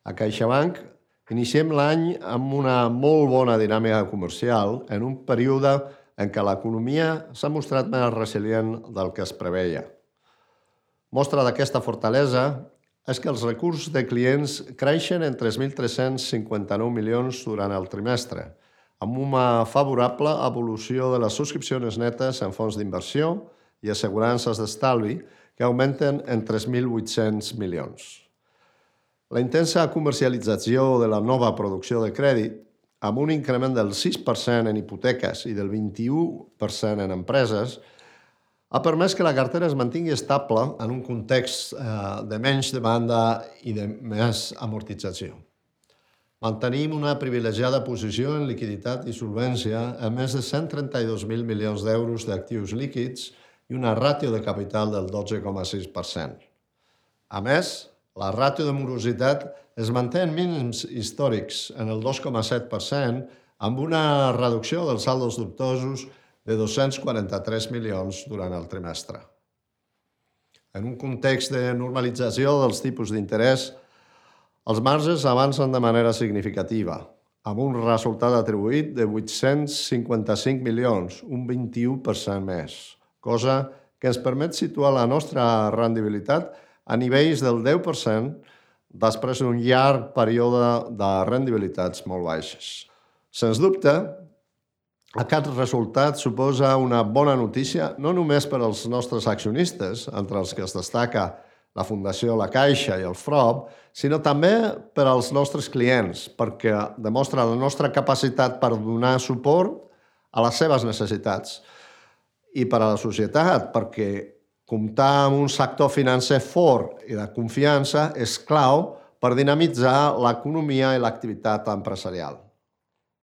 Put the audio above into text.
A CaixaBank iniciem l'any amb una molt bona dinàmica comercial en un període en què l'economia s'ha mostrat més resilient del que es preveia. Mostra d'aquesta fortalesa és que els recursos de clients creixen en 3.359 milions durant el trimestre, amb una favorable evolució de les subscripcions netes en fons d'inversió i assegurances d'estalvi, que augmenten en 3.800 milions. La intensa comercialització de la nova producció de crèdit, amb un increment del 6% en hipoteques i del 21% en empreses, ha permès que la cartera es mantingui estable en un context de menys demanda i de més amortització. Mantenim una privilegiada posició en liquiditat i solvència amb més de 132.000 milions d'euros d'actius líquids i una ràtio de capital del 12,6%. A més, la ràtio de morositat es manté en mínims històrics en el 2,7% amb una reducció dels saldos dubtosos de 243 milions durant el trimestre. En un context de normalització dels tipus d'interès, els marges avancen de manera significativa, amb un resultat atribuït de 855 milions, un 21% més, cosa que ens permet situar la nostra rendibilitat a nivells del 10% després d'un llarg període de rendibilitats molt baixes. Sens dubte, aquest resultat suposa una bona notícia no només per als nostres accionistes, entre els que es destaca la Fundació La Caixa i el FROB, sinó també per als nostres clients, perquè demostra la nostra capacitat per donar suport a les seves necessitats. I per a la societat, perquè comptar amb un sector financer fort i de confiança és clau per dinamitzar l'economia i l'activitat empresarial.